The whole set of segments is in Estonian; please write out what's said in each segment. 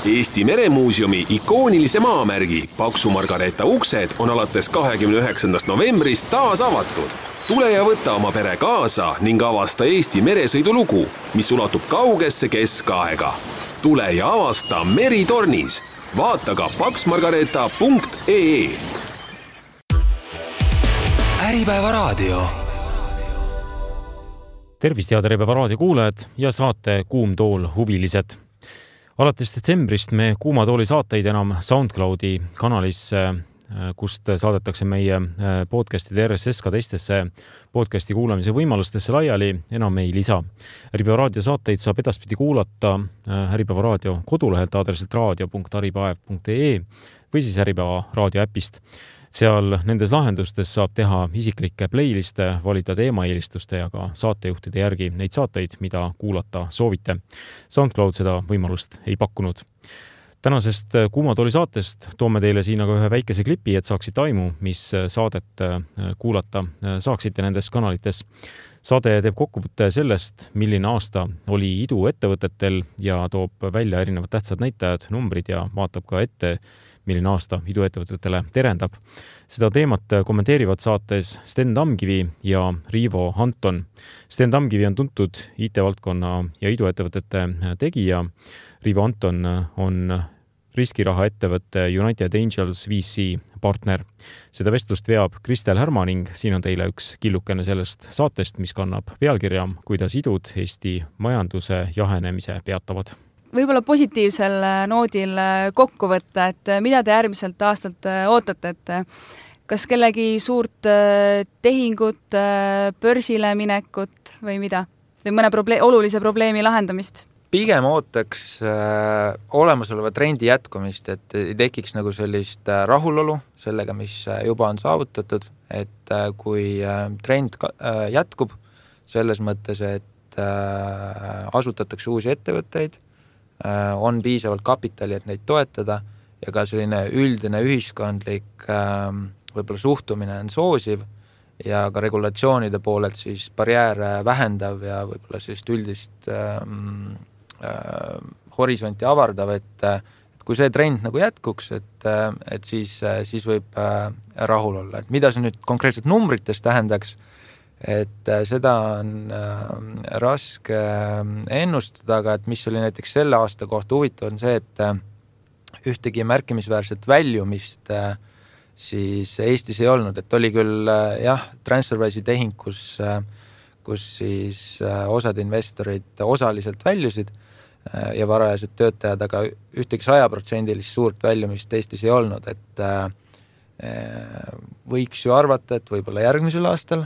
Eesti Meremuuseumi ikoonilise maamärgi Paksu Margareeta uksed on alates 29. novembrist taas avatud. Tule ja võta oma pere kaasa ning avasta Eesti meresõidulugu, mis ulatub kaugesse keskaega. Tule ja avasta Meritornis. Vaata ka paksmargareeta.ee. Äripäeva raadio. Tervist, head Äripäeva raadio kuulajad ja saate Kuum tool huvilised. Alates detsembrist me Kuuma tooli saateid enam SoundCloudi kanalisse, kust saadetakse meie podcastide RSS ka teistesse podcasti kuulamise võimalustesse laiali, enam ei lisa. Äripäeva raadio saateid saab edaspidi kuulata Äripäeva raadio kodulehelt aadressilt radio.aripaev.ee või siis Äripäeva raadio äpist. Seal nendes lahendustes saab teha isiklikke playliste, valida teemaeelistuste ja ka saatejuhtide järgi neid saateid, mida kuulata soovite. SoundCloud seda võimalust ei pakkunud. Tänasest Kuuma tooli saatest toome teile siin aga ühe väikese klipi, et saaksite aimu, mis saadet kuulata saaksite nendes kanalites. Saade teeb kokkuvõtte sellest, milline aasta oli iduettevõtetel ja toob välja erinevad tähtsad näitajad, numbrid ja vaatab ka ette, milline aasta iduettevõtetele terendab. Seda teemat kommenteerivad saates Sten Tamkivi ja Riivo Anton. Sten Tamkivi on tuntud IT-valdkonna ja iduettevõtete tegija. Riivo Anton on riskiraha ettevõtte United Angels VC partner. Seda vestlust veab Kristel Härma ning siin on teile üks killukene sellest saatest, mis kannab pealkirja, kuidas idud Eesti majanduse jahenemise peatavad. Võib-olla positiivsel noodil kokku võtta, et mida te järgmiselt aastalt ootate, et kas kellegi suurt tehingut, börsile minekut või mida? Või mõne olulise probleemi lahendamist? Pigem ootaks olemasoleva trendi jätkumist, et ei tekiks nagu sellist rahulolu sellega, mis juba on saavutatud, et kui trend jätkub selles mõttes, et asutatakse uusi ettevõtteid, on piisavalt kapitali, et neid toetada ja ka selline üldine ühiskondlik võib-olla suhtumine on soosiv ja ka regulatsioonide poolelt siis barjääre vähendav ja võib-olla sellist üldist horisonti avardav, et kui see trend nagu jätkuks, et siis võib rahul olla. Et mida see nüüd konkreetselt numbrites tähendaks, et seda on raske ennustada, aga et mis oli näiteks selle aasta kohta huvitav on see, et ühtegi märkimisväärset väljumist siis Eestis ei olnud, et oli küll TransferWise'i tehing, kus siis osad investorid osaliselt väljusid ja varajased töötajad, aga ühtegi 100% suurt väljumist Eestis ei olnud, et võiks ju arvata, et võib-olla järgmisel aastal,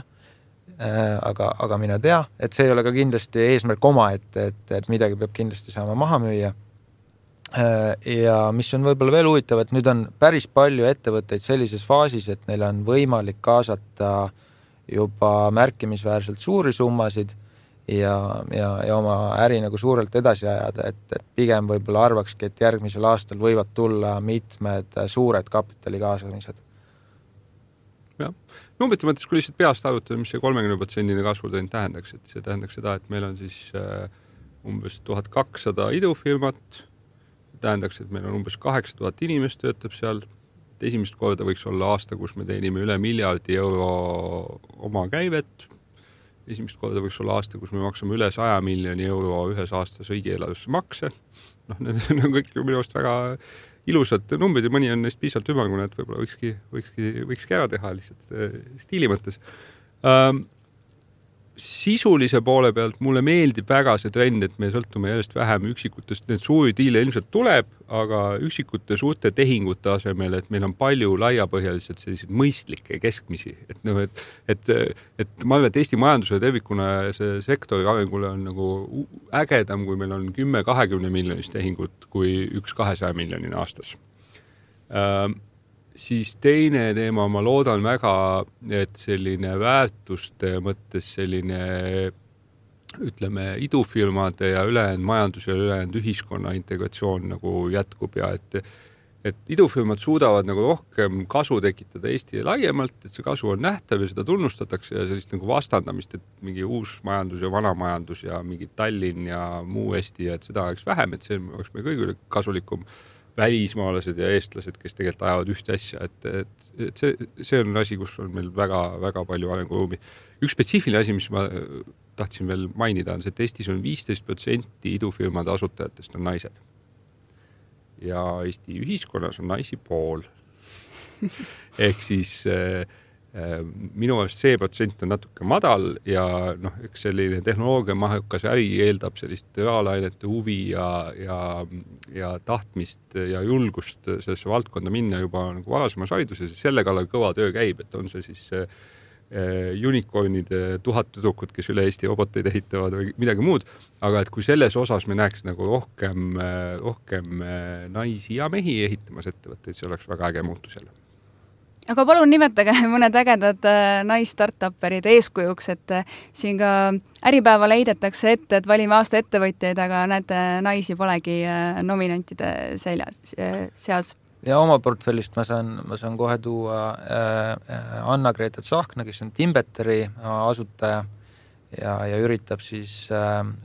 aga mina tea, et see ei ole ka kindlasti eesmärk oma, et midagi peab kindlasti saama maha müüa. Ja mis on võib-olla veel huvitav, et nüüd on päris palju ettevõtteid sellises faasis, et neil on võimalik kaasata juba märkimisväärselt suuri summasid ja oma äri nagu suurelt edasi ajada, et pigem võib-olla arvakski, et järgmisel aastal võivad tulla mitmed suured kapitali kaasamised. Numbrite mõttes, kui lihtsalt peast arvutada, mis see 30% kasvutrend tähendaks, et see tähendaks seda, et meil on siis umbes 1200 idufirmat, tähendaks, et meil on umbes 8000 inimest töötab seal, et esimest korda võiks olla aasta, kus me teenime üle €1 miljardi oma käivet, esimest korda võiks olla aasta, kus me maksame üle €100 miljoni ühes aastas riigieelarvesse makse, need on kõik minu arust väga ilusad numbrid ja mõni on neist piisavalt ümmargune, et võib-olla võikski ära teha lihtsalt stiili mõttes. Sisulise poole pealt mulle meeldib väga see trend, et me sõltume järjest vähem üksikutest, need suuri diile ilmselt tuleb, aga üksikute suurte tehingute asemel, et meil on palju laiapõhjaliselt selliseid mõistlikke keskmisi, et ma arvan, et Eesti majanduse tervikuna see sektori arengule on nagu ägedam, kui meil on 10-20 miljonist tehingut kui 1-200 miljonina aastas. Siis teine teema, ma loodan väga, et selline väärtuste mõttes selline, ütleme, idufirmade ja ülejäänud majandus ja ülejäänud ühiskonna integratsioon nagu jätkub ja et et idufirmad suudavad nagu rohkem kasu tekitada Eesti laiemalt, et see kasu on nähtav ja seda tunnustatakse ja sellist nagu vastandamist, et mingi uus majandus ja vana majandus ja mingi Tallinn ja muu Eesti ja et seda oleks vähem, et see oleks meie kõigile kasulikum välismaalased ja eestlased, kes tegelikult ajavad ühte asja, et see on asi, kus on meil väga palju arenguruumi. Üks spetsiifiline asi, mis ma tahtsin veel mainida, on see, et Eestis on 15% idufirmade asutajatest on naised. Ja Eesti ühiskonnas on naisi pool. Ehk siis minu arust see protsent on natuke madal ja eks selline tehnoloogia mahukas äri eeldab sellist reaalainete huvi ja tahtmist ja julgust sellesse valdkonda minna juba nagu varasemas hariduses ja selle kallal kõva töö käib, et on see siis unicornide 1000 tüdrukut, kes üle Eesti roboteid ehitavad või midagi muud, aga et kui selles osas me näeks nagu rohkem naisi ja mehi ehitamas ettevõtteid, see oleks väga äge muutus jälle. Aga palun nimetage mõned ägedad nais-startupperid eeskujuks, et siin ka Äripäeval heidetakse ette, et valime aasta ettevõtjaid, aga näete, naisi polegi nominantide seas. Ja oma portfellist ma saan kohe tuua Anna-Greta Tsahkna, kes on Timbeteri asutaja ja üritab siis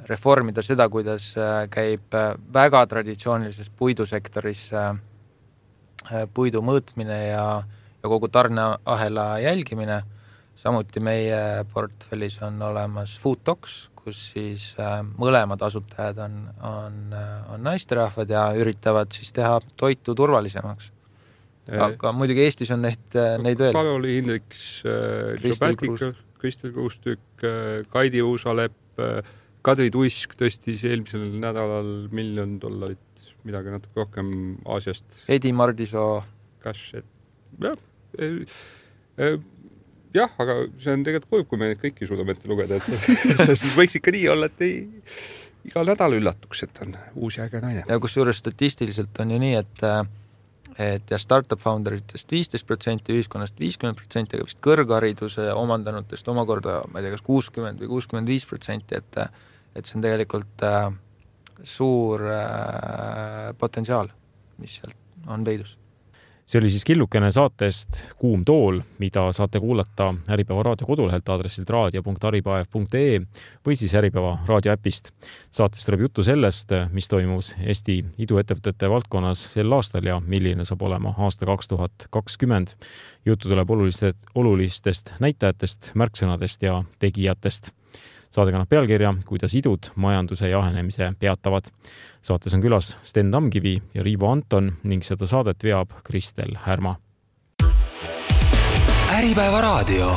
reformida seda, kuidas käib väga traditsioonilises puidusektoris puidu mõõtmine ja kogu tarneahela jälgimine. Samuti meie portfellis on olemas Foodtox, kus siis mõlemad asutajad on naisterahvad ja üritavad siis teha toitu turvalisemaks. Aga muidugi Eestis on neid veel. Karoli Hindriks, Kristel Kruustükk, Kaidi Uusalepp, Kadri Tuisk tõstis eelmisel nädalal $1 miljon, midagi natuke rohkem Aasiast. Edi Mardisoo. Jah, aga see on tegelikult kurb, kui me kõiki suudame ette lugeda, et see võiks ikka nii olla, et igal nädal üllatuks, et on uus ja äge naine. Ja kusjuures statistiliselt on ju nii, et ja startup founderitest 15%, ühiskonnast 50%, aga vist kõrghariduse omandanutest omakorda, ma ei tea, kas 60 või 65%, et see on tegelikult suur potentsiaal, mis sealt on peidus. See oli siis killukene saatest Kuum tool, mida saate kuulata Äripäeva raadio kodulehelt aadressilt raadio.aripaev.ee või siis Äripäeva raadioäpist. Saates tuleb juttu sellest, mis toimus Eesti iduettevõtete valdkonnas sel aastal ja milline saab olema aasta 2020. Juttu tuleb olulistest näitajatest, märksõnadest ja tegijatest. Saade kannab pealkirja, kuidas idud majanduse jahenemise peatavad. Saates on külas Sten Tamkivi ja Riivo Anton ning seda saadet veab Kristel Härma. Äripäeva raadio.